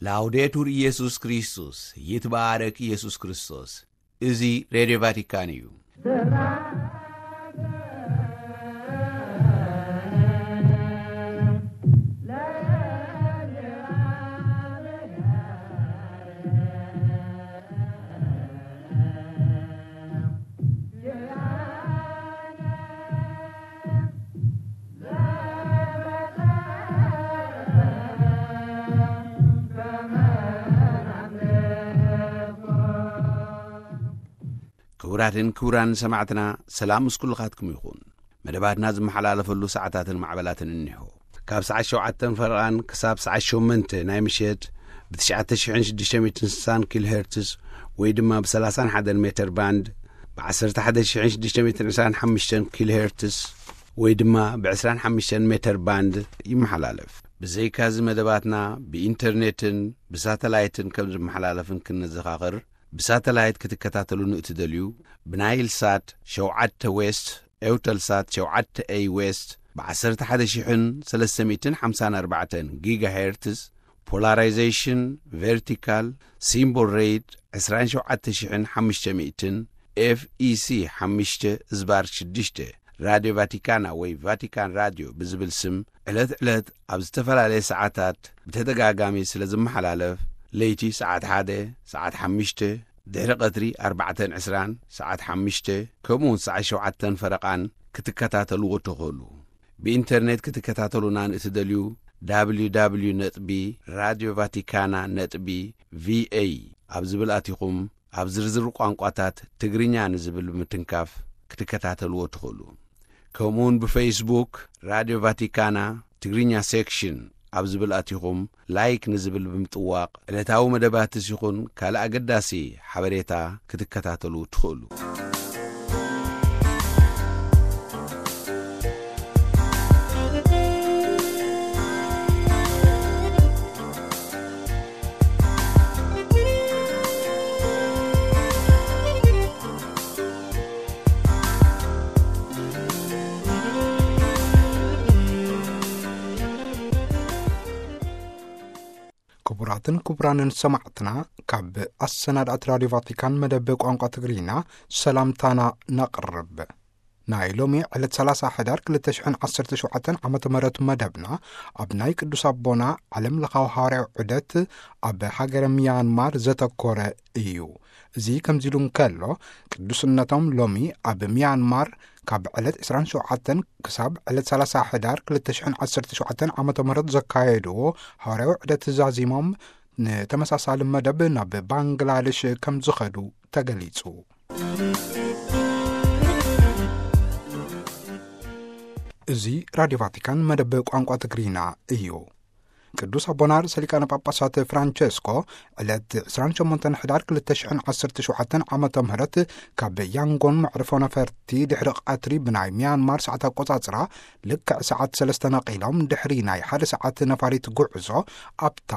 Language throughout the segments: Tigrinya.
ላውዴቱር ኢየሱስ ክርስቶስ፣ ይትባረክ ኢየሱስ ክርስቶስ። እዚ ሬድዮ ቫቲካን እዩ። ክቡራትን ክቡራን ሰማዕትና፣ ሰላም ምስ ኩልኻትኩም ይኹን። መደባትና ዝመሓላለፈሉ ሰዓታትን ማዕበላትን እኒሆ። ካብ ሰዓት ሸውዓተን ፈረቓን ክሳብ ሰዓት ሸሞንተ ናይ ምሸት ብ ትሽዓተ ሽሕን ሽዱሽተ ሚእትን ስሳን ኪሎ ሄርትስ ወይ ድማ ብ ሰላሳን ሓደን ሜተር ባንድ፣ ብ ዓሰርተ ሓደ ሽሕን ሽዱሽተ ሚእትን ዕስራን ሓሙሽተን ኪሎ ሄርትስ ወይ ድማ ብ ዕስራን ሓሙሽተን ሜተር ባንድ ይመሓላለፍ። ብዘይካዚ መደባትና ብኢንተርኔትን ብሳተላይትን ከም ዝመሓላለፍን ክንዘኻኽር፣ ብሳተላይት ክትከታተሉ ንእትደልዩ፣ ብናይል ሳት ሸውዓተ ዌስት፣ ኤውተል ሳት ሸውዓተ ኤይ ዌስት፣ ብ ዓሰርተ ሓደ ሽሕን ሰለስተ ሚእትን ሓምሳን ኣርባዕተን ጊጋ ሄርትዝ፣ ፖላራይዜሽን ቨርቲካል፣ ሲምቦል ሬት ዕስራን ሸውዓተ ሽሕን ሓሙሽተ ሚእትን፣ ኤፍ ኢ ሲ ሓሙሽተ ዝባር ሽዱሽተ፣ ራድዮ ቫቲካና ወይ ቫቲካን ራድዮ ብዝብል ስም ዕለት ዕለት ኣብ ዝተፈላለየ ሰዓታት ብተደጋጋሚ ስለ ዝመሓላለፍ፣ ለይቲ ሰዓት ሓደ፣ ሰዓት ሓሙሽተ፣ ድሕሪ ቀትሪ ኣርባዕተን ዕስራን፣ ሰዓት ሓሙሽተ፣ ከምኡ እውን ሰዓት ሸውዓተን ፈረቓን ክትከታተልዎ ትኽእሉ። ብኢንተርኔት ክትከታተሉና ንእትደልዩ፣ ደብሊው ደብሊው ደብሊው ነጥቢ ራድዮ ቫቲካና ነጥቢ ቪ ኤ ኣብ ዝብል ኣቲኹም ኣብ ዝርዝር ቋንቋታት ትግርኛ ንዝብል ብምትንካፍ ክትከታተልዎ ትኽእሉ። ከምኡውን ብፌስቡክ ራድዮ ቫቲካና ትግርኛ ሴክሽን ኣብ ዝብል ኣቲኹም ላይክ ንዝብል ብምጥዋቕ ዕለታዊ መደባትስ ይኹን ካልእ ኣገዳሲ ሓበሬታ ክትከታተሉ ትኽእሉ። ክቡራትን ክቡራንን ሰማዕትና፣ ካብ ኣሰናዳእት ራድዮ ቫቲካን መደብ ቋንቋ ትግርኛ ሰላምታና ነቕርብ። ናይ ሎሚ ዕለት ሰላሳ ሕዳር ክልተ ሽሕን ዓሰርተ ሸውዓተን ዓመተ ምህረት መደብና ኣብ ናይ ቅዱስ ኣቦና ዓለም ለኻዊ ሃዋርያዊ ዑደት ኣብ ሃገረ ሚያንማር ዘተኮረ እዩ። እዚ ከምዚ ኢሉ እንከሎ፣ ቅዱስነቶም ሎሚ ኣብ ሚያንማር ካብ ዕለት ዕስራን ሸውዓተን ክሳብ ዕለት ሰላሳ ሕዳር ክልተ ሽሕን ዓሰርተ ሸውዓተን ዓመተ ምህረት ዘካየድዎ ሃዋርያዊ ዑደት ዛዚሞም ንተመሳሳሊ መደብ ናብ ባንግላደሽ ከም ዝኸዱ ተገሊጹ። እዚ ራድዮ ቫቲካን መደብ ቋንቋ ትግርኛ እዩ። ቅዱስ ኣቦና ርእሰ ሊቃነ ጳጳሳት ፍራንቸስኮ ዕለት ዕስራን ሸሞንተን ሕዳር ክልተ ሽሕን ዓሰርተ ሸውዓተን ዓመተ ምህረት ካብ ያንጎን መዕርፎ ነፈርቲ ድሕሪ ቀትሪ ብናይ ሚያንማር ሰዓት ኣቆጻጽራ ልክዕ ሰዓት ሰለስተ ነቒሎም ድሕሪ ናይ ሓደ ሰዓት ነፋሪት ጉዕዞ ኣብታ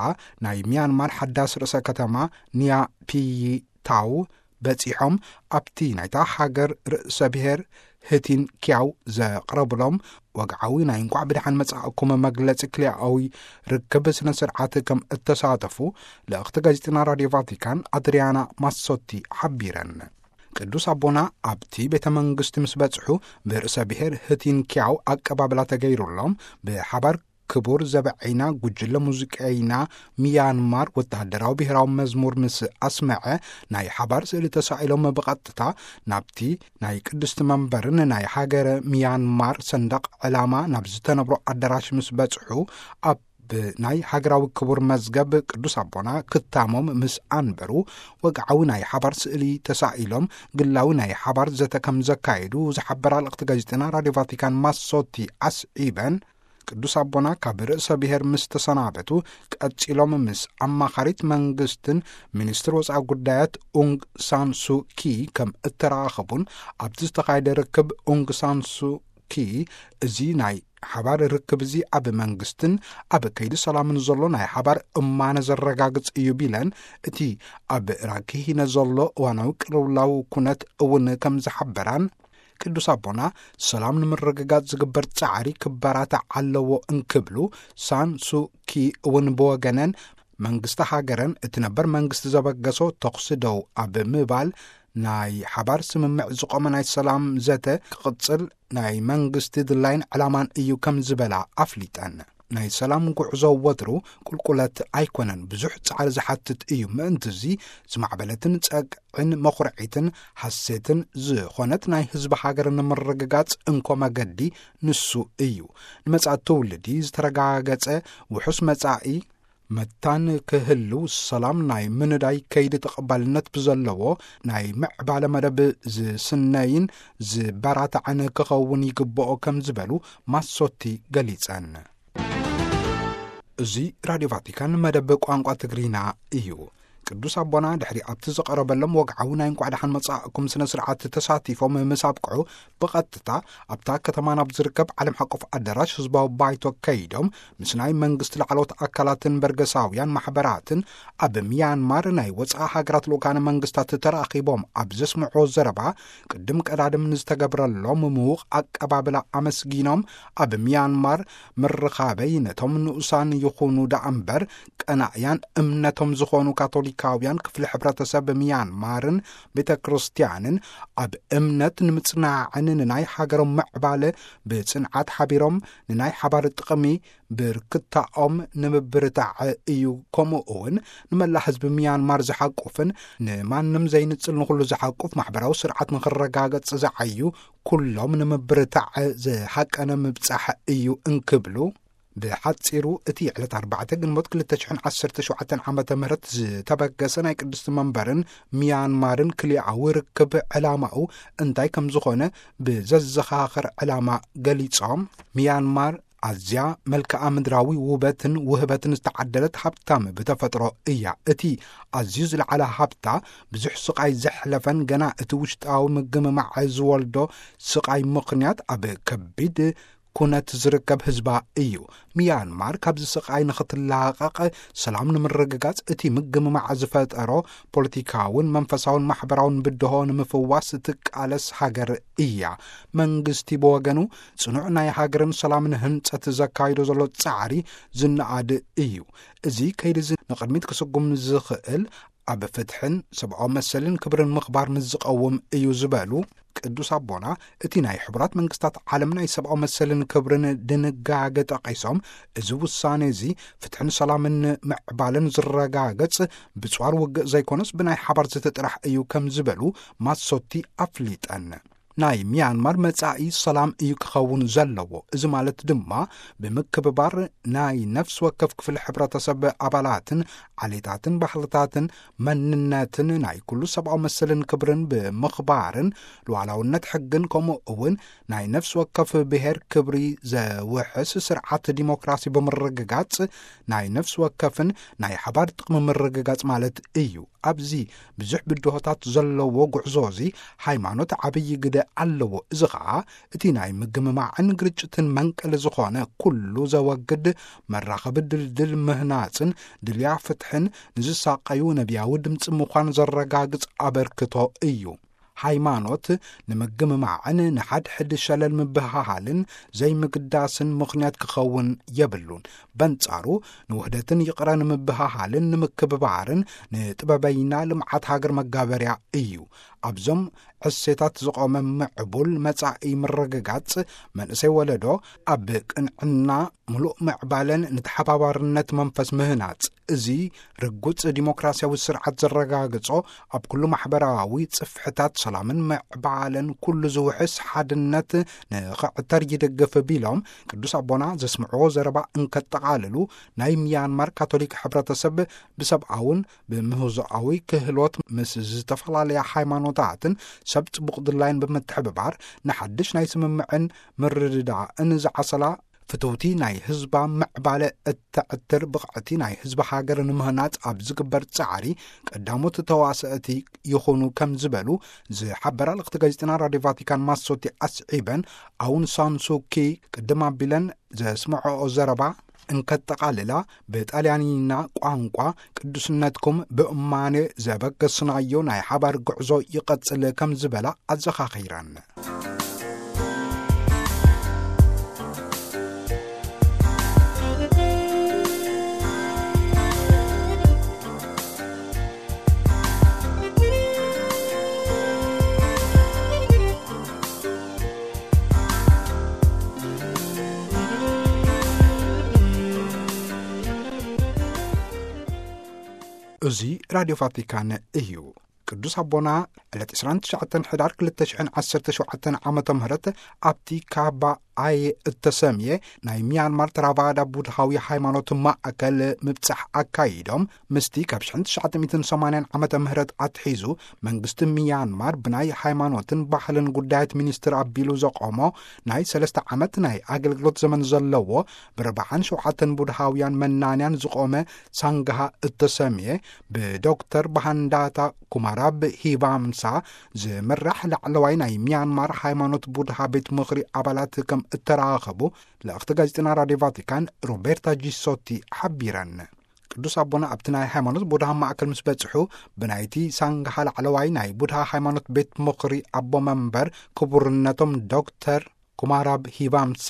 ናይ ሚያንማር ሓዳስ ርእሰ ከተማ ኒያፒይታው በጺሖም ኣብቲ ናይታ ሃገር ርእሰ ብሔር ህቲን ኪያው ዘቕረብሎም ወግዓዊ ናይ እንቋዕ ብደሓን መጻእኩም መግለጺ ክልኣዊ ርክብ ስነ ስርዓት ከም እተሳተፉ ልእኽቲ ጋዜጠና ራድዮ ቫቲካን ኣድሪያና ማሶቲ ሓቢረን። ቅዱስ ኣቦና ኣብቲ ቤተ መንግስቲ ምስ በጽሑ ብርእሰ ብሔር ህቲን ኪያው ኣቀባብላ ተገይሩሎም ብሓባር ክቡር ዘበዐይና ጉጅለ ሙዚቀይና ሚያንማር ወተሃደራዊ ብሔራዊ መዝሙር ምስ ኣስመዐ ናይ ሓባር ስእሊ ተሳኢሎም ብቐጥታ ናብቲ ናይ ቅድስቲ መንበርን ናይ ሃገረ ሚያንማር ሰንደቕ ዕላማ ናብ ዝተነብሮ ኣዳራሽ ምስ በጽሑ ኣብ ናይ ሃገራዊ ክቡር መዝገብ ቅዱስ ኣቦና ክታሞም ምስ ኣንበሩ ወግዓዊ ናይ ሓባር ስእሊ ተሳኢሎም ግላዊ ናይ ሓባር ዘተ ከም ዘካየዱ ዝሓበራ ልእኽቲ ጋዜጠና ራድዮ ቫቲካን ማሶቲ ኣስዒበን ቅዱስ ኣቦና ካብ ርእሰ ብሔር ምስ ተሰናበቱ ቀጺሎም ምስ ኣማኻሪት መንግስትን ሚኒስትር ወጻኢ ጉዳያት ኡንግ ሳን ሱ ኪ ከም እተራኸቡን ኣብቲ ዝተኻየደ ርክብ ኡንግ ሳን ሱ ኪ እዚ ናይ ሓባር ርክብ እዚ ኣብ መንግስትን ኣብ ከይዲ ሰላምን ዘሎ ናይ ሓባር እማነ ዘረጋግጽ እዩ ቢለን እቲ ኣብ ራኪሂነ ዘሎ እዋናዊ ቅልውላው ኩነት እውን ከም ዝሓበራን ቅዱስ ኣቦና ሰላም ንምርግጋጽ ዝግበር ጻዕሪ ክበራታዕ ኣለዎ እንክብሉ ሳን ሱ ኪ እውን ብወገነን መንግስቲ ሃገረን እቲ ነበር መንግስቲ ዘበገሶ ተኹሲ ደው ኣብ ምባል ናይ ሓባር ስምምዕ ዝቆመ ናይ ሰላም ዘተ ክቕጽል ናይ መንግስቲ ድላይን ዕላማን እዩ ከም ዝበላ ኣፍሊጠን። ናይ ሰላም ጉዕዞ ወትሩ ቁልቁለት ኣይኮነን፣ ብዙሕ ጻዕሪ ዝሓትት እዩ። ምእንቲ እዚ ዝማዕበለትን ጸግዕን መኹርዒትን ሓሴትን ዝኾነት ናይ ህዝቢ ሃገር ንምርግጋጽ እንኮ መገዲ ንሱ እዩ። ንመጻኢ ትውልዲ ዝተረጋገጸ ውሑስ መጻኢ መታን ክህልው፣ ሰላም ናይ ምንዳይ ከይዲ ተቐባልነት ብዘለዎ ናይ ምዕባለ መደብ ዝስነይን ዝበራታዕን ክኸውን ይግብኦ ከም ዝበሉ ማሶቲ ገሊጸን። እዚ ራድዮ ቫቲካን መደብ ቋንቋ ትግሪና እዩ። ቅዱስ ኣቦና ድሕሪ ኣብቲ ዝቐረበሎም ወግዓዊ ናይ እንኳዕ ደሓን መጻእኩም ስነ ስርዓት ተሳቲፎም ምስ ኣብቅዑ፣ ብቐጥታ ኣብታ ከተማ ናብ ዝርከብ ዓለም ሓቆፍ ኣዳራሽ ህዝባዊ ባይቶ ከይዶም ምስ ናይ መንግስቲ ላዕለዎት ኣካላትን በርገሳውያን ማሕበራትን ኣብ ሚያንማር ናይ ወጻኢ ሃገራት ልኡካነ መንግስታት ተራኺቦም ኣብ ዘስምዖ ዘረባ፣ ቅድም ቀዳድም ንዝተገብረሎም ምዉቕ ኣቀባብላ ኣመስጊኖም፣ ኣብ ሚያንማር ምርኻበይ ነቶም ንኡሳን ይኹኑ ደኣ እምበር ቀናእያን እምነቶም ዝኾኑ ካቶሊካውያን ክፍሊ ሕብረተሰብ ሚያንማርን ቤተ ክርስቲያንን ኣብ እምነት ንምጽናዕን ንናይ ሃገሮም ምዕባለ ብጽንዓት ሓቢሮም ንናይ ሓባር ጥቕሚ ብርክታኦም ንምብርታዕ እዩ። ከምኡ እውን ንመላእ ህዝቢ ሚያንማር ዝሓቁፍን ንማንም ዘይንጽል ንኹሉ ዝሓቁፍ ማሕበራዊ ስርዓት ንኽረጋገጽ ዝዓዩ ኩሎም ንምብርታዕ ዝሓቀነ ምብጻሕ እዩ እንክብሉ፣ ብሓጺሩ እቲ ዕለት ኣርባዕተ ግንቦት ክልተ ሽሕን ዓሰርተ ሸውዓተን ዓመተ ምህረት ዝተበገሰ ናይ ቅድስቲ መንበርን ሚያንማርን ክልኣዊ ርክብ ዕላማኡ እንታይ ከም ዝኾነ ብዘዘኻኽር ዕላማ ገሊጾም፣ ሚያንማር ኣዝያ መልክዓ ምድራዊ ውበትን ውህበትን ዝተዓደለት ሃብታም ብተፈጥሮ እያ። እቲ ኣዝዩ ዝለዓለ ሃብታ ብዙሕ ስቓይ ዘሕለፈን ገና እቲ ውሽጣዊ ምግምማዕ ዝወልዶ ስቓይ ምኽንያት ኣብ ከቢድ ኩነት ዝርከብ ህዝባ እዩ። ሚያንማር ካብዚ ስቓይ ንኽትላቐቕ ሰላም ንምርግጋጽ እቲ ምግምማዕ ዝፈጠሮ ፖለቲካውን መንፈሳውን ማሕበራውን ብድሆ ንምፍዋስ ትቃለስ ሃገር እያ። መንግስቲ ብወገኑ ጽኑዕ ናይ ሃገርን ሰላምን ህንጸት ዘካይዶ ዘሎ ጻዕሪ ዝነኣድ እዩ። እዚ ከይዲ እዚ ንቕድሚት ክስጉም ዝኽእል ኣብ ፍትሕን ሰብኣዊ መሰልን ክብርን ምኽባር ምስ ዝቐውም እዩ ዝበሉ ቅዱስ ኣቦና፣ እቲ ናይ ሕቡራት መንግስታት ዓለም ናይ ሰብኣዊ መሰልን ክብርን ድንጋገ ጠቒሶም፣ እዚ ውሳኔ እዚ ፍትሕን ሰላምን ምዕባለን ዝረጋገጽ ብጽዋር ውግእ ዘይኮነስ ብናይ ሓባር ዘተ ጥራሕ እዩ ከም ዝበሉ ማሶቲ ኣፍሊጠን። ናይ ሚያንማር መጻኢ ሰላም እዩ ክኸውን ዘለዎ። እዚ ማለት ድማ ብምክብባር ናይ ነፍሲ ወከፍ ክፍሊ ሕብረተሰብ ኣባላትን ዓሌታትን ባህልታትን መንነትን ናይ ኩሉ ሰብኣዊ መሰልን ክብርን ብምኽባርን ሉዓላውነት ሕግን ከምኡ እውን ናይ ነፍሲ ወከፍ ብሔር ክብሪ ዘውሕስ ስርዓት ዲሞክራሲ ብምርግጋጽ ናይ ነፍሲ ወከፍን ናይ ሓባር ጥቕሚ ምርግጋጽ ማለት እዩ። ኣብዚ ብዙሕ ብድሆታት ዘለዎ ጉዕዞ እዚ ሃይማኖት ዓብዪ ግደ ኣለዎ። እዚ ኸዓ እቲ ናይ ምግምማዕን ግርጭትን መንቀሊ ዝኾነ ኩሉ ዘወግድ መራኸቢ ድልድል ምህናጽን ድልያ ፍትሕን ንዝሳቀዩ ነቢያዊ ድምፂ ምዃን ዘረጋግጽ ኣበርክቶ እዩ። ሃይማኖት ንምግምማዕን ንሓድሕድ ሸለል ምብህሃልን ዘይምግዳስን ምኽንያት ክኸውን የብሉን። በንጻሩ ንውህደትን ይቕረ ንምብህሃልን ንምክብባርን ንጥበበይና ልምዓት ሃገር መጋበርያ እዩ። ኣብዞም ዕሴታት ዝቖመ ምዕቡል መጻኢ ምርግጋጽ መንእሰይ ወለዶ ኣብ ቅንዕና ምሉእ ምዕባለን ንተሓባባርነት መንፈስ ምህናጽ፣ እዚ ርጉጽ ዲሞክራሲያዊ ስርዓት ዘረጋግጾ፣ ኣብ ኩሉ ማሕበራዊ ጽፍሕታት ሰላምን ምዕባለን ኩሉ ዝውሕስ ሓድነት ንኽዕተር ይድግፍ ቢሎም፣ ቅዱስ ኣቦና ዘስምዕዎ ዘረባ እንከጠቓልሉ፣ ናይ ሚያንማር ካቶሊክ ሕብረተሰብ ብሰብኣውን ብምህዞኣዊ ክህሎት ምስ ዝተፈላለያ ሃይማኖታትን ሰብ ጽቡቕ ድላይን ብምትሕብባር ንሓድሽ ናይ ስምምዕን ምርድዳእን ዝዓሰላ ፍትውቲ ናይ ህዝባ ምዕባለ እተዕትር ብቕዕቲ ናይ ህዝቢ ሃገር ንምህናጽ ኣብ ዝግበር ጻዕሪ ቀዳሞት ተዋሰእቲ ይኹኑ ከም ዝበሉ ዝሓበራ ልእኽቲ ጋዜጠና ራድዮ ቫቲካን ማሶቲ ኣስዒበን፣ ኣውን ሳንሱኪ ቅድም ኣቢለን ዘስምዐኦ ዘረባ እንከጠቓልላ፣ ብጣልያንኛ ቋንቋ ቅዱስነትኩም ብእማኔ ዘበገስናዮ ናይ ሓባር ጉዕዞ ይቐጽል ከም ዝበላ ኣዘኻኺረን። እዚ ራድዮ ቫቲካን እዩ። ቅዱስ ኣቦና ዕለት ዕስራን ትሽዓተን ሕዳር ክልተ ሽሕን ዓሰርተ ሸውዓተን ዓመተ ምህረት ኣብቲ ካባ ኣየ እተሰምየ ናይ ሚያንማር ተራቫዳ ቡድሃዊ ሃይማኖት ማእከል ምብጻሕ ኣካይዶም፣ ምስቲ ካብ ሽሕን ትሽዓተ ሚእትን ሰማንያን ዓመተ ምህረት ኣትሒዙ መንግስቲ ሚያንማር ብናይ ሃይማኖትን ባህልን ጉዳያት ሚኒስትር ኣቢሉ ዘቆሞ ናይ ሰለስተ ዓመት ናይ ኣገልግሎት ዘመን ዘለዎ ብርብዓን ሸውዓተን ቡድሃውያን መናንያን ዝቆመ ሳንግሃ እተሰምየ ብዶክተር ባሃንዳታ ኩማራብ ሂባምሳ ዝምራሕ ላዕለዋይ ናይ ሚያንማር ሃይማኖት ቡድሃ ቤት ምኽሪ ኣባላት ከም እተራኸቡ ልእኽቲ ጋዜጠና ራድዮ ቫቲካን ሮቤርታ ጂሶቲ ሓቢረን። ቅዱስ ኣቦና ኣብቲ ናይ ሃይማኖት ቡድሃ ማእከል ምስ በጽሑ፣ ብናይቲ ሳንግሃ ላዕለዋይ ናይ ቡድሃ ሃይማኖት ቤት ምኽሪ ኣቦ መንበር ክቡርነቶም ዶክተር ኩማራብ ሂባምሳ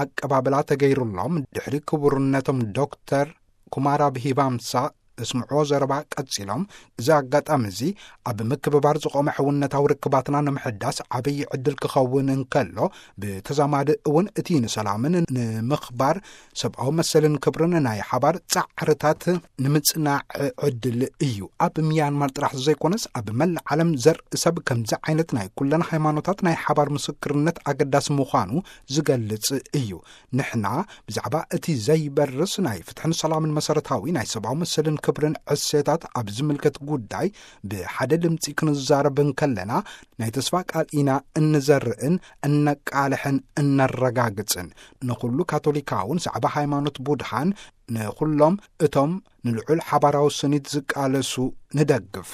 ኣቀባብላ ተገይሩሎም። ድሕሪ ክቡርነቶም ዶክተር ኩማራብ ሂባምሳ ዘስምዕዎ ዘረባ ቀጺሎም፣ እዚ ኣጋጣሚ እዚ ኣብ ምክብባር ዝቖመ ሕውነታዊ ርክባትና ንምሕዳስ ዓብዪ ዕድል ክኸውን እንከሎ፣ ብተዛማዲ እውን እቲ ንሰላምን ንምኽባር ሰብኣዊ መሰልን ክብርን ናይ ሓባር ጻዕርታት ንምጽናዕ ዕድል እዩ። ኣብ ሚያንማር ጥራሕ ዘይኮነስ ኣብ መላእ ዓለም ዘርኢ ሰብ ከምዚ ዓይነት ናይ ኩለን ሃይማኖታት ናይ ሓባር ምስክርነት ኣገዳሲ ምዃኑ ዝገልጽ እዩ። ንሕና ብዛዕባ እቲ ዘይበርስ ናይ ፍትሕን ሰላምን መሰረታዊ ናይ ሰብኣዊ መሰልን ክብርን ዕሴታት ኣብ ዝምልከት ጉዳይ ብሓደ ድምፂ ክንዛረብ እንከለና፣ ናይ ተስፋ ቃል ኢና እንዘርእን እነቃልሕን እነረጋግጽን። ንኹሉ ካቶሊካውን ዛዕባ ሃይማኖት ቡድሃን ንኹሎም እቶም ንልዑል ሓባራዊ ስኒት ዝቃለሱ ንደግፍ።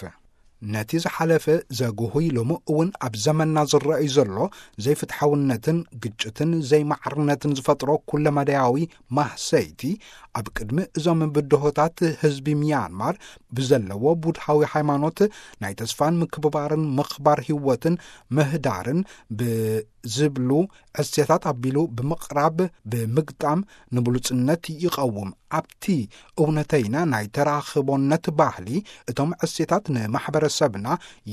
ነቲ ዝሓለፈ ዘጉህይ፣ ሎሚ እውን ኣብ ዘመንና ዝረኣዩ ዘሎ ዘይፍትሓውነትን ግጭትን ዘይማዕርነትን ዝፈጥሮ ኩለመዳያዊ ማህሰይቲ፣ ኣብ ቅድሚ እዞም ብድሆታት ህዝቢ ሚያንማር ብዘለዎ ቡድሃዊ ሃይማኖት ናይ ተስፋን ምክብባርን ምኽባር ህይወትን ምህዳርን ብዝብሉ ዕሴታት ኣቢሉ ብምቕራብ ብምግጣም ንብሉጽነት ይቐውም። ኣብቲ እውነተይና ናይ ተራኽቦነት ባህሊ፣ እቶም ዕሴታት ንማሕበረሰብና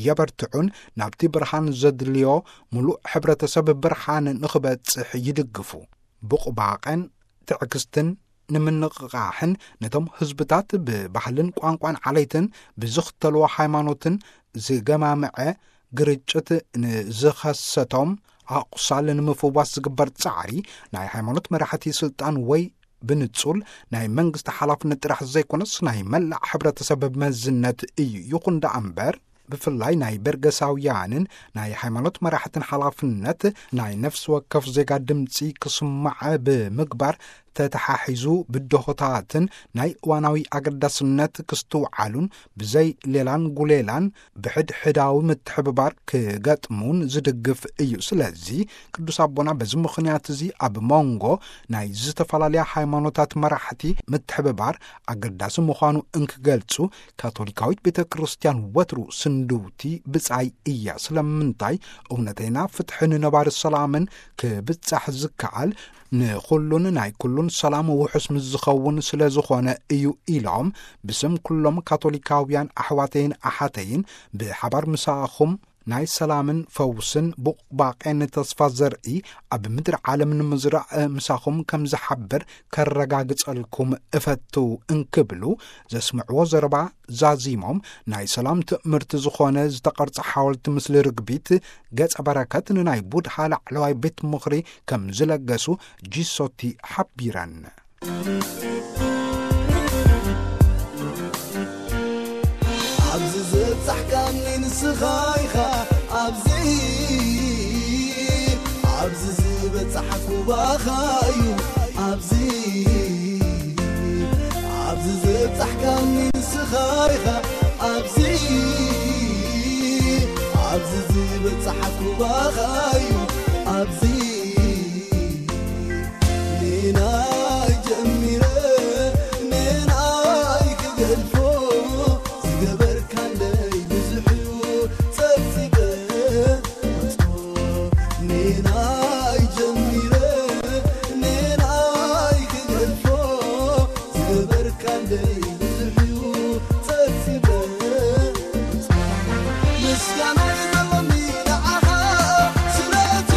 የበርትዑን ናብቲ ብርሃን ዘድልዮ ምሉእ ሕብረተሰብ ብርሃን ንኽበጽሕ ይድግፉ። ብቑባቐን ትዕግስትን ንምንቕቓሕን ነቶም ህዝብታት ብባህልን ቋንቋን ዓሌትን ብዝኽተልዎ ሃይማኖትን ዝገማምዐ ግርጭት ንዝኸሰቶም ኣቑሳል ንምፍዋስ ዝግበር ጻዕሪ፣ ናይ ሃይማኖት መራሕቲ ስልጣን ወይ ብንጹል ናይ መንግስቲ ሓላፍነት ጥራሕ ዘይኮነስ ናይ መላእ ሕብረተሰብ መዝነት እዩ። ይኹን ደኣ እምበር፣ ብፍላይ ናይ በርገሳውያንን ናይ ሃይማኖት መራሕትን ሓላፍነት ናይ ነፍሲ ወከፍ ዜጋ ድምጺ ክስማዕ ብምግባር ተተሓሒዙ ብድሆታትን ናይ እዋናዊ ኣገዳስነት ክስትውዓሉን ብዘይ ሌላን ጉሌላን ብሕድሕዳዊ ምትሕብባር ክገጥሙን ዝድግፍ እዩ። ስለዚ ቅዱስ ኣቦና በዚ ምኽንያት እዚ ኣብ መንጎ ናይ ዝተፈላለያ ሃይማኖታት መራሕቲ ምትሕብባር ኣገዳሲ ምዃኑ እንክገልጹ፣ ካቶሊካዊት ቤተ ክርስቲያን ወትሩ ስንድውቲ ብጻይ እያ። ስለምንታይ? እውነተይና ፍትሕን ነባሪ ሰላምን ክብጻሕ ዝከኣል ንኹሉን ናይ ኩሉን ሰላም ውሑስ ምስ ዝኸውን ስለ ዝኾነ እዩ ኢሎም፣ ብስም ኩሎም ካቶሊካውያን ኣሕዋተይን ኣሓተይን ብሓባር ምሳኹም ናይ ሰላምን ፈውስን ቡቕባቄን ተስፋ ዘርኢ ኣብ ምድሪ ዓለም ንምዝራእ ምሳኹም ከም ዝሓብር ከረጋግጸልኩም እፈቱ እንክብሉ ዘስምዕዎ ዘረባ ዛዚሞም፣ ናይ ሰላም ትእምርቲ ዝኾነ ዝተቐርጸ ሓወልቲ ምስሊ ርግቢት ገጸ በረከት ንናይ ቡድሃ ላዕለዋይ ቤት ምኽሪ ከም ዝለገሱ ጂሶቲ ሓቢረን። ኣብዚ ዝበጻሕካኒ ንስኻ ኢኻ፣ ኣብዚ፣ ኣብዚ ዝበጻሕኩ ባኻ እዩ፣ ኣብዚ፣ ኣብዚ ዝበጻሕካኒ ንስኻ ኢኻ፣ ኣብዚ፣ ኣብዚ ዝበጻሕኩ ባኻ እዩ፣ ኣብዚ። ኔናይ ጀሚረ ኔናይ ክገድፎ ዝገበርካለይ ብዙሕ እዩ ጸብጺበ። ኔናይ ጀሚረ ኔናይ ክገድፎ ዝገበርካለይ ብዙሕ እዩ ጸብጺበ። ምስጋና ይዘሎኒ ንዓኻ ስለቲ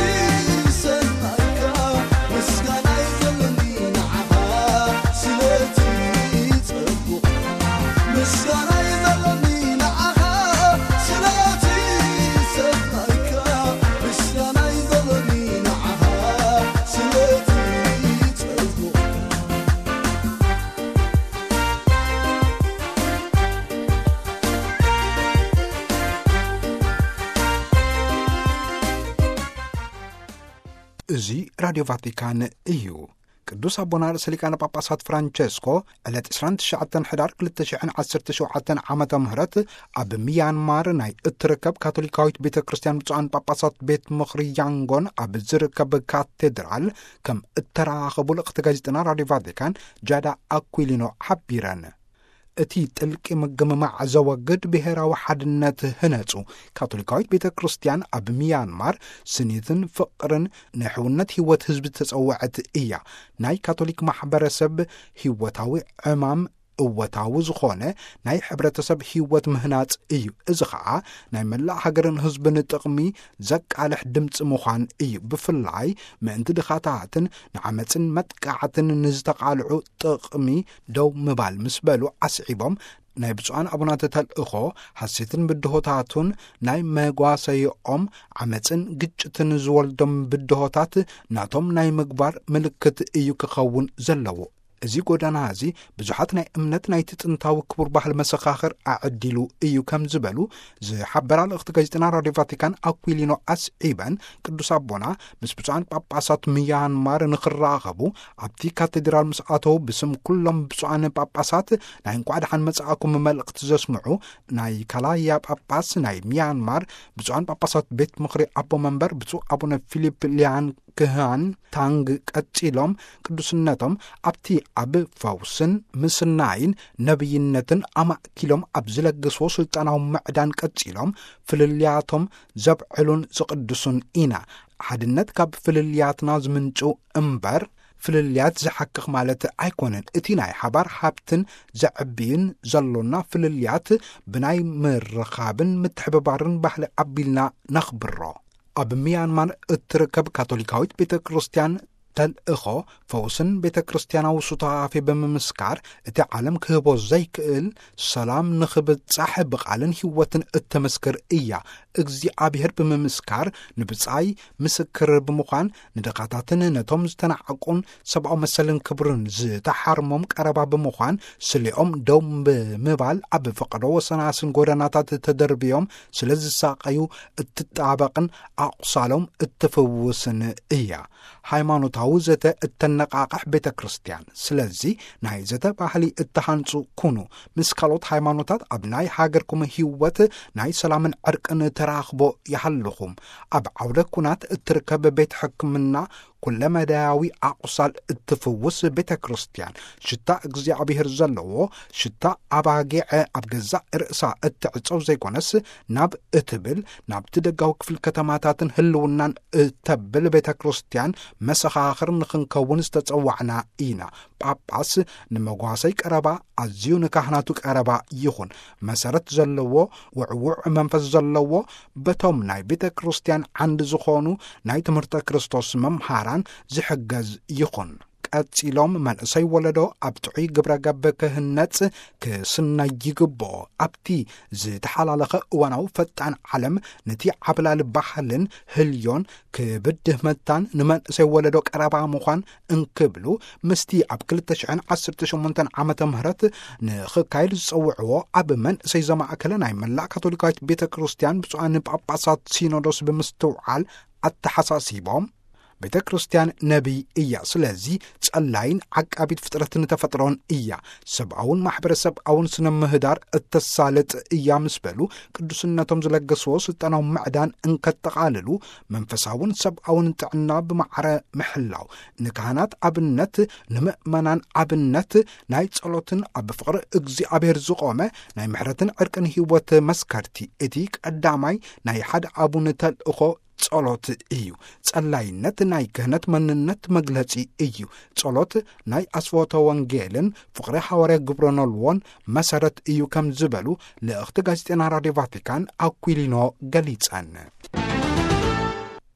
እዚ ራድዮ ቫቲካን እዩ። ቅዱስ ኣቦና ርእሰ ሊቃነ ጳጳሳት ፍራንቸስኮ ዕለት ዕስራን ትሽዓተን ሕዳር ክልተ ሽሕን ዓሰርተ ሸውዓተን ዓመተ ምህረት ኣብ ሚያንማር ናይ እትርከብ ካቶሊካዊት ቤተ ክርስቲያን ብፁዓን ጳጳሳት ቤት ምኽሪ ያንጎን ኣብ ዝርከብ ካቴድራል ከም እተራኸቡ ልእኽቲ ጋዜጠና ራድዮ ቫቲካን ጃዳ ኣኩሊኖ ሓቢረን። እቲ ጥልቂ ምግምማዕ ዘወግድ ብሔራዊ ሓድነት ህነጹ። ካቶሊካዊት ቤተ ክርስቲያን ኣብ ሚያንማር ስኒትን ፍቕርን ንሕውነት ህይወት ህዝቢ ተጸውዐት እያ። ናይ ካቶሊክ ማሕበረሰብ ህይወታዊ ዕማም እወታዊ ዝኾነ ናይ ሕብረተሰብ ህይወት ምህናጽ እዩ። እዚ ኸኣ ናይ መላእ ሃገርን ህዝብን ጥቕሚ ዘቃልሕ ድምፂ ምዃን እዩ። ብፍላይ ምእንቲ ድኻታትን ንዓመፅን መጥቃዕትን ንዝተቓልዑ ጥቕሚ ደው ምባል ምስ በሉ ኣስዒቦም፣ ናይ ብፁዓን ኣቡናት ተልእኾ ሓሴትን ብድሆታቱን ናይ መጓሰይኦም ዓመፅን ግጭትን ዝወልዶም ብድሆታት ናቶም ናይ ምግባር ምልክት እዩ ክኸውን ዘለዎ። እዚ ጎዳና እዚ ብዙሓት ናይ እምነት ናይቲ ጥንታዊ ክቡር ባህል መሰኻኽር ኣዕዲሉ እዩ ከም ዝበሉ ዝሓበራ ልእኽቲ ጋዜጠና ራድዮ ቫቲካን ኣኩሊኖ ኣስዒበን፣ ቅዱስ ኣቦና ምስ ብፁዓን ጳጳሳት ሚያንማር ንኽራኸቡ ኣብቲ ካቴድራል ምስ ኣተው ብስም ኩሎም ብፁዓን ጳጳሳት ናይ እንኳዕ ደሓን መጻእኩም መልእኽቲ ዘስምዑ ናይ ካላያ ጳጳስ ናይ ሚያንማር ብፁዓን ጳጳሳት ቤት ምኽሪ ኣቦ መንበር ብፁዕ ኣቡነ ፊሊፕ ሊያን ክሃን ታንግ ቀጺሎም ቅዱስነቶም ኣብቲ ኣብ ፈውስን ምስናይን ነብይነትን ኣማእኪሎም ኣብ ዝለግስዎ ስልጣናዊ ምዕዳን ቀጺሎም ፍልልያቶም ዘብዕሉን ዝቕድሱን ኢና። ሓድነት ካብ ፍልልያትና ዝምንጩ እምበር ፍልልያት ዝሓክኽ ማለት ኣይኮነን። እቲ ናይ ሓባር ሃብትን ዘዕብይን ዘሎና ፍልልያት ብናይ ምርኻብን ምትሕብባርን ባህሊ ኣቢልና ነኽብሮ። ኣብ ሚያንማር እትርከብ ካቶሊካዊት ቤተ ክርስቲያን ተልእኾ ፈውስን ቤተ ክርስቲያናዊ ሱታፌ ብምምስካር እቲ ዓለም ክህቦ ዘይክእል ሰላም ንኽብጻሕ ብቓልን ህይወትን እተመስክር እያ። እግዚኣብሔር ብምምስካር ንብጻይ ምስክር ብምዃን ንድኻታትን ነቶም ዝተናዕቁን ሰብኣዊ መሰልን ክብርን ዝተሓርሞም ቀረባ ብምዃን ስሊኦም ደው ብምባል ኣብ ፈቐዶ ወሰናስን ጎደናታት ተደርብዮም ስለ ዝሳቐዩ እትጣበቕን ኣቑሳሎም እትፍውስን እያ። ሃይማኖታዊ ዘተ እተነቓቕሕ ቤተ ክርስቲያን። ስለዚ ናይ ዘተ ባህሊ እተሃንጹ ኩኑ። ምስ ካልኦት ሃይማኖታት ኣብ ናይ ሃገርኩም ህይወት ናይ ሰላምን ዕርቅን ተራኽቦ ይሃልኹም። ኣብ ዓውደ ኩናት እትርከብ ቤት ሕክምና ኩለመዳያዊ ኣቑሳል እትፍውስ ቤተ ክርስቲያን። ሽታ እግዚኣብሔር ዘለዎ ሽታ ኣባጊዐ ኣብ ገዛእ ርእሳ እትዕጸው ዘይኮነስ ናብ እትብል ናብቲ ደጋዊ ክፍል ከተማታትን ህልውናን እተብል ቤተ ክርስቲያን መሰኻኽር ንኽንከውን ዝተጸዋዕና ኢና። ጳጳስ ንመጓሰይ ቀረባ ኣዝዩ ንካህናቱ ቀረባ ይኹን። መሰረት ዘለዎ ውዕውዕ መንፈስ ዘለዎ በቶም ናይ ቤተ ክርስቲያን ዓንዲ ዝኾኑ ናይ ትምህርተ ክርስቶስ መምሃራን ዝሕገዝ ይኹን። ቀጺሎም መንእሰይ ወለዶ ኣብ ጥዑይ ግብረ ገብ ክህነጽ ክስነይ ይግብኦ። ኣብቲ ዝተሓላለኸ እዋናዊ ፈጣን ዓለም ነቲ ዓብላሊ ባህልን ህልዮን ክብድህ መታን ንመንእሰይ ወለዶ ቀረባ ምዃን እንክብሉ ምስቲ ኣብ ክልተ ሽሕን ዓሰርተ ሸሞንተን ዓመተ ምህረት ንኽካየድ ዝጸውዕዎ ኣብ መንእሰይ ዘማእከለ ናይ መላእ ካቶሊካዊት ቤተ ክርስቲያን ብፁዓን ጳጳሳት ሲኖዶስ ብምስትውዓል ኣተሓሳሲቦም፣ ቤተ ክርስቲያን ነቢይ እያ። ስለዚ ጸላይን ዓቃቢት ፍጥረትን ተፈጥሮን እያ። ሰብኣውን ማሕበረሰብኣውን ስነ ምህዳር እተሳልጥ እያ ምስ በሉ ቅዱስነቶም ዝለገስዎ ስልጣናዊ ምዕዳን እንከጠቓልሉ መንፈሳውን ሰብኣውን ጥዕና ብማዕረ ምሕላው ንካህናት ኣብነት፣ ንምእመናን ኣብነት ናይ ጸሎትን ኣብ ፍቕሪ እግዚኣብሔር ዝቖመ ናይ ምሕረትን ዕርቅን ህይወት መስከርቲ እቲ ቀዳማይ ናይ ሓደ ኣቡን ተልእኾ ጸሎት እዩ። ጸላይነት ናይ ክህነት መንነት መግለጺ እዩ። ጸሎት ናይ ኣስፎተ ወንጌልን ፍቕሪ ሃዋርያ ግብረ ኖልዎን መሰረት እዩ ከም ዝበሉ ልእኽቲ ጋዜጠና ራድዮ ቫቲካን ኣኩሊኖ ገሊጸን።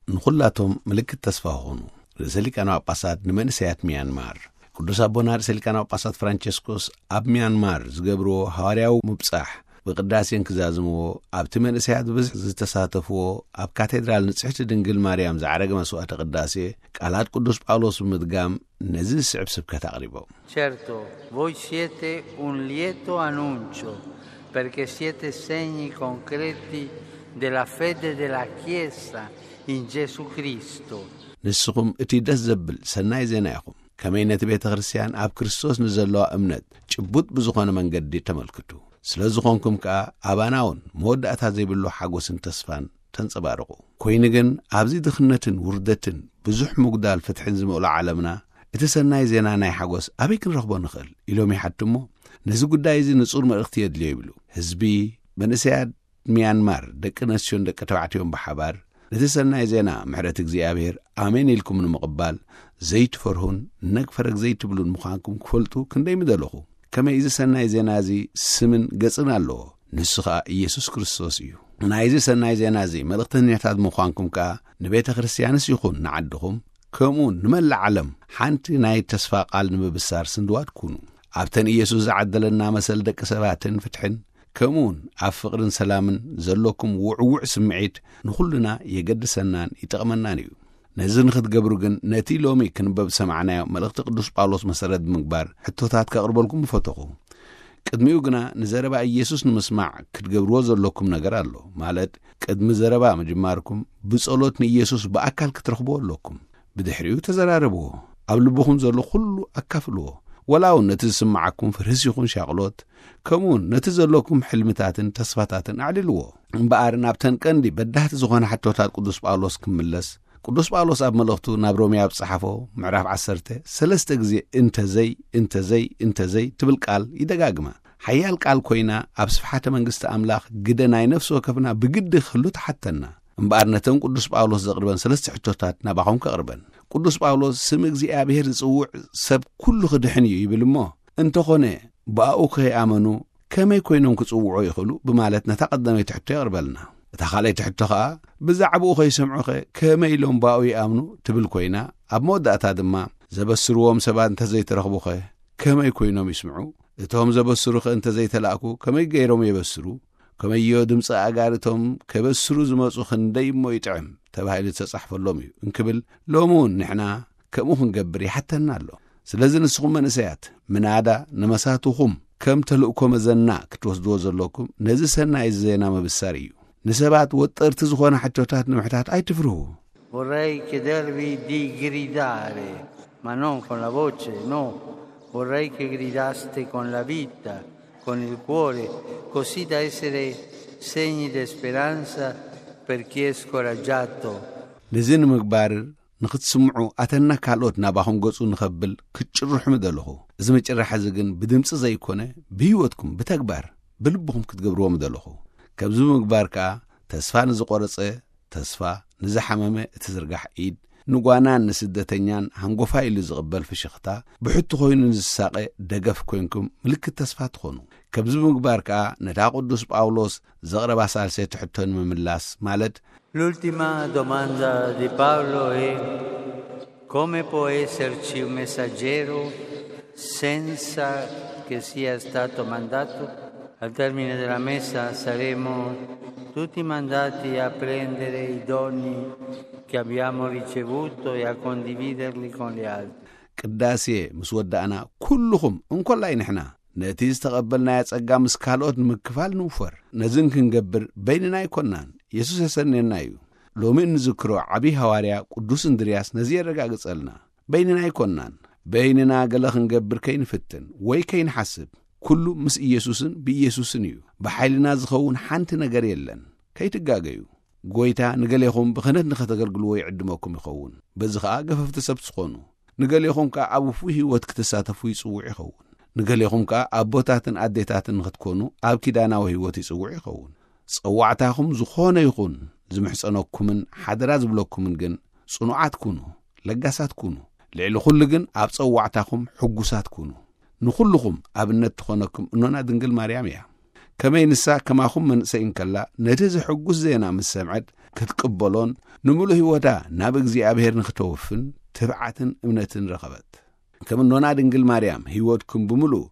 ንኹላቶም ምልክት ተስፋ ኾኑ። ርእሰ ሊቃነ ጳጳሳት ንመንእሰያት ሚያንማር። ቅዱስ ኣቦና ርእሰ ሊቃነ ጳጳሳት ፍራንቸስኮስ ኣብ ሚያንማር ዝገብርዎ ሃዋርያዊ ምብጻሕ ብቅዳሴን ክዛዝምዎ፣ ኣብቲ መንእሰያት ብብዝሒ ዝተሳተፍዎ ኣብ ካቴድራል ንጽሕቲ ድንግል ማርያም ዝዓረገ መስዋዕተ ቅዳሴ ቃላት ቅዱስ ጳውሎስ ብምድጋም ነዚ ዝስዕብ ስብከት ኣቕሪቦም። Certo, voi siete un lieto annuncio, perché siete segni concreti della fede della Chiesa in Gesù Cristo. ንስኹም እቲ ደስ ዘብል ሰናይ ዜና ኢኹም። ከመይ ነቲ ቤተ ክርስቲያን ኣብ ክርስቶስ ንዘለዋ እምነት ጭቡጥ ብዝኾነ መንገዲ ተመልክቱ። ስለ ዝኾንኩም ከኣ ኣባናውን መወዳእታ ዘይብሉ ሓጎስን ተስፋን ተንጸባርቑ። ኮይኑ ግን ኣብዚ ድኽነትን ውርደትን ብዙሕ ምጉዳል ፍትሕን ዝመልኦ ዓለምና እቲ ሰናይ ዜና ናይ ሓጎስ ኣበይ ክንረኽቦ ንኽእል ኢሎም ይሓትሞ። ነዚ ጉዳይ እዚ ንጹር መልእኽቲ የድልዮ ይብሉ። ህዝቢ፣ መንእሰያት፣ ሚያንማር ደቂ ኣንስትዮን ደቂ ተባዕትዮን ብሓባር ነቲ ሰናይ ዜና ምሕረት እግዚኣብሔር ኣሜን ኢልኩም ንምቕባል ዘይትፈርሁን ነግ ፈረግ ዘይትብሉን ምዃንኩም ክፈልጡ ክንደይ ምደለኹ። ከመይ እዚ ሰናይ ዜና እዚ ስምን ገጽን ኣለዎ፣ ንሱ ኸኣ ኢየሱስ ክርስቶስ እዩ። ናይዚ ሰናይ ዜና እዚ መልእኽተኛታት ምዃንኩም ከኣ ንቤተ ክርስቲያንስ ይኹን ንዓድኹም ከምኡ ንመላእ ዓለም ሓንቲ ናይ ተስፋ ቃል ንምብሳር ስንድዋት ኩኑ። ኣብተን ኢየሱስ ዝዓደለና መሰል ደቂ ሰባትን ፍትሕን ከምኡውን ኣብ ፍቕርን ሰላምን ዘለኩም ውዕውዕ ስምዒት ንኹልና የገድሰናን ይጠቕመናን እዩ። ነዚ ንኽትገብሩ ግን ነቲ ሎሚ ክንበብ ዝሰማዕናዮ መልእኽቲ ቅዱስ ጳውሎስ መሰረት ብምግባር ሕቶታት ከቕርበልኩም ምፈተኹ። ቅድሚኡ ግና ንዘረባ ኢየሱስ ንምስማዕ ክትገብርዎ ዘለኩም ነገር ኣሎ። ማለት ቅድሚ ዘረባ ምጅማርኩም ብጸሎት ንኢየሱስ ብኣካል ክትረኽብዎ ኣለኩም። ብድሕሪኡ ተዘራረብዎ። ኣብ ልብኹም ዘሎ ኩሉ ኣካፍልዎ። ወላ እውን ነቲ ዝስምዓኩም ፍርህስ ይኹን ሻቕሎት፣ ከምኡውን ነቲ ዘለኩም ሕልምታትን ተስፋታትን ኣዕልልዎ። እምበኣር ናብተን ቀንዲ በዳህቲ ዝኾነ ሕቶታት ቅዱስ ጳውሎስ ክምለስ፣ ቅዱስ ጳውሎስ ኣብ መልእኽቱ ናብ ሮሜ ኣብ ዝጸሓፎ ምዕራፍ ዓሰርተ ሰለስተ ግዜ እንተዘይ፣ እንተዘይ፣ እንተዘይ ትብል ቃል ይደጋግማ። ሓያል ቃል ኮይና ኣብ ስፍሓተ መንግስቲ ኣምላኽ ግደ ናይ ነፍሲ ወከፍና ብግዲ ክህሉ ትሓተና። እምበኣር ነተን ቅዱስ ጳውሎስ ዘቕርበን ሰለስተ ሕቶታት ናባኹም ከቕርበን። ቅዱስ ጳውሎስ ስም እግዚኣብሔር ዝጽውዕ ሰብ ኩሉ ክድሕን እዩ ይብል እሞ፣ እንተኾነ ብኣኡ ከይኣመኑ ከመይ ኮይኖም ክጽውዑ ይኽእሉ ብማለት ነታ ቀዳመይቲ ሕቶ የቕርበልና። እታ ካልኣይቲ ሕቶ ኸኣ ብዛዕባኡ ከይሰምዑኸ ከመይ ኢሎም ብኣኡ ይኣምኑ ትብል ኮይና፣ ኣብ መወዳእታ ድማ ዘበስርዎም ሰባት እንተዘይተረኽቡኸ ከመይ ኮይኖም ይስምዑ? እቶም ዘበስሩኸ እንተዘይተላእኩ ከመይ ገይሮም የበስሩ? ከመዮ ድምፂ ኣጋር እቶም ከበስሩ ዝመፁ ክንደይ እሞ ይጥዕም ተባሂሉ ዝተፃሕፈሎም እዩ እንክብል ሎሚ እውን ንሕና ከምኡ ክንገብር ይሓተና ኣሎ። ስለዚ ንስኹም መንእሰያት ምናዳ ንመሳትኹም ከም ተልእኮ መዘና ክትወስድዎ ዘለኩም ነዚ ሰናይ ዜና ምብሳር እዩ። ንሰባት ወጠርቲ ዝኾነ ሕቶታት ንምሕታት ኣይትፍርሁ። Vorrei chiedervi di gridare, ma non con la voce, no. Vorrei che gridaste con la vita, con il cuore, così da essere segni di speranza per chi è scoraggiato. ነዚ ንምግባር ንኽትስምዑ ኣተና ካልኦት ናባኹም ገጹ ንኸብል ክትጭርሑ ምደለኹ። እዚ ምጭራሕ እዚ ግን ብድምፂ ዘይኮነ ብህይወትኩም ብተግባር ብልብኹም ክትገብርዎ ምደለኹ። ከምዚ ምግባር ከኣ ተስፋ ንዝቆረጸ ተስፋ፣ ንዝሓመመ እትዝርጋሕ ኢድ፣ ንጓናን ንስደተኛን ሃንጎፋይ ኢሉ ዝቕበል ፍሽኽታ፣ ብሕቱ ኮይኑ ንዝሳቐ ደገፍ ኮይንኩም ምልክት ተስፋ ትኾኑ። ከምዚ ብምግባር ከኣ ነታ ቅዱስ ጳውሎስ ዘቕረባ ሳልሰይቲ ሕቶ ንምምላስ ማለት L'ultima domanda di Paolo è: come può esserci un messaggero senza che sia stato mandato? Al termine della messa saremo tutti mandati a prendere i doni che abbiamo ricevuto e a condividerli con gli altri. ቅዳሴ ምስ ወዳእና ኩልኹም እንኮላይ ንሕና ነቲ ዝተቐበልናዮ ጸጋ ምስ ካልኦት ንምክፋል ንውፈር። ነዝን ክንገብር በይንና ኣይኮናን፣ የሱስ የሰንየና እዩ። ሎሚ እንዝክሮ ዓብዪ ሃዋርያ ቅዱስ እንድርያስ ነዚ የረጋግጸልና። በይንና ኣይኮናን። በይንና ገለ ክንገብር ከይንፍትን ወይ ከይንሓስብ፣ ኩሉ ምስ ኢየሱስን ብኢየሱስን እዩ። ብሓይልና ዝኸውን ሓንቲ ነገር የለን። ከይትጋገዩ። ጎይታ ንገሌኹም ብኽህነት ንኸተገልግልዎ ይዕድመኩም ይኸውን። በዚ ኸኣ ገፈፍቲ ሰብ ትኾኑ። ንገሌኹም ከኣ ኣብ ውፉይ ህይወት ክትሳተፉ ይጽውዕ ይኸውን። ንገሌኹም ከኣ ኣቦታትን ኣዴታትን ንኽትኮኑ ኣብ ኪዳናዊ ህይወት ይጽውዕ ይኸውን። ጸዋዕታኹም ዝኾነ ይኹን ዝምሕጸነኩምን ሓደራ ዝብለኩምን ግን ጽኑዓት ኩኑ፣ ለጋሳት ኩኑ። ልዕሊ ኩሉ ግን ኣብ ጸዋዕታኹም ሕጉሳት ኩኑ። ንኹልኹም ኣብነት ትኾነኩም እኖና ድንግል ማርያም እያ። ከመይ ንሳ ከማኹም መንእሰይ እንከላ ነቲ ዘሕጉስ ዜና ምስ ሰምዐት ክትቅበሎን ንምሉእ ህይወታ ናብ እግዚኣብሔር ንክተወፍን ትብዓትን እምነትን ረኸበት። ከም እኖና ድንግል ማርያም ህይወትኩም ብምሉእ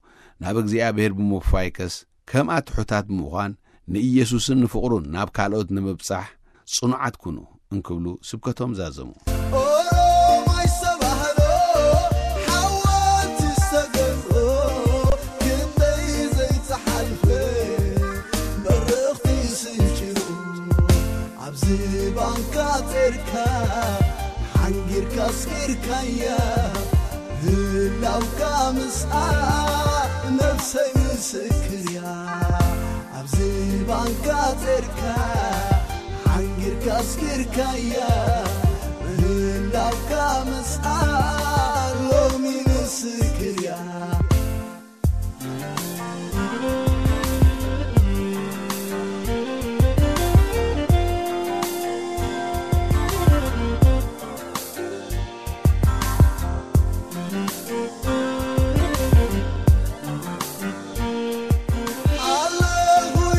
ናብ እግዚኣብሔር ብምውፋይከስ ከምኣ ትሑታት ብምዃን ንኢየሱስን ንፍቕሩን ናብ ካልኦት ንምብጻሕ ጽኑዓት ኩኑ እንክብሉ ስብከቶም ዛዘሙ። ኦሮማይ ሰባህሎ ሓወልቲ ዝተገዝኦ ክንደይ ዘይተሓልፈ በረኽቲ ስንጭሩ ኣብዚ ባንካ ጸርካ ሓንጊር ስኪርካያ ህላውካ ምስኣ ነፍሰይ ምስክር እያ። ኣብዚ ባንካ ጸርካ ሓንጊርካ ስኪርካያ ህላውካ ምስኣ ሎሚ ምስክር እያ። ኣለኹ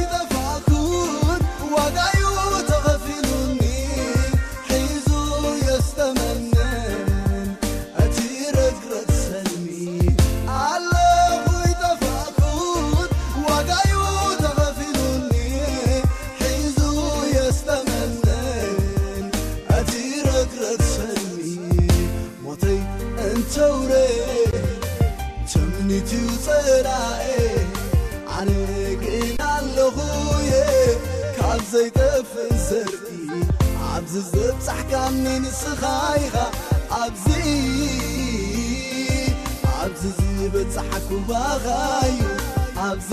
ይጠፋእኩን ዋጋዩ ተኸፊሉኒ ሒዙ የስተመንን እቲ ረግረግ ሰልሚ። ኣለኹ ይጠፋእኩን ዋጋዩ ተኸፊሉኒ ሒዙ የስተመንን እቲ ረግረግ ሰልሚ። ሞተይ እንተውረ ትምኒትዩ ጸላኤ ኣነ ግን ኣለኹየ ካብ ዘይጠፍእ ዘርኢ ኣብዚ ዘብጻሕካኒ ንስኻ ኢኻ ኣብዚ ኣብዚ ዝበጻሕኩ ባኻዩ ኣብዚ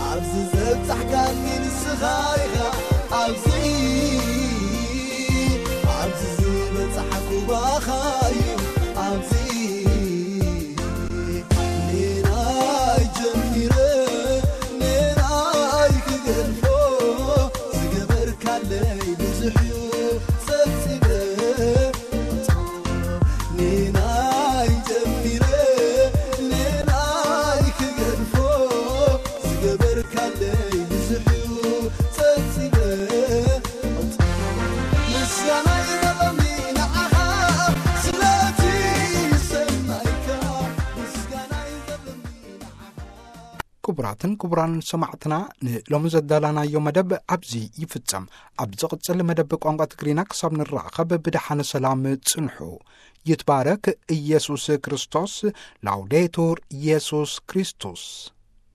ኣብዚ ዘብጻሕካኒ ንስኻ ኢኻ ኣብዚ ኣብዚ ዝበጻሕኩ ባኻዩ ኣብዚ ንናይ ጀሚረ ንናይ ክገድፎ ዝገበርካለይ ብዙሕ እዩ ጸብጺበ ንናይ ጀሚረ ንናይ ክገድፎ ዝገበርካለይ ብዙሕ እዩ ጸብጺበ። ምስጋናይ ዘለኒ ንዓኻ ስለቲ ሰናይካ ምስጋናይ ዘለኒ ንዓኻ። ክቡራትን ክቡራን ሰማዕትና፣ ንሎሚ ዘዳላናዮ መደብ ኣብዚ ይፍጸም። ኣብ ዝቕጽል መደብ ቋንቋ ትግርኛ ክሳብ ንራኸብ ብደሓን ሰላም ጽንሑ። ይትባረክ ኢየሱስ ክርስቶስ። ላውዴቱር ኢየሱስ ክርስቶስ።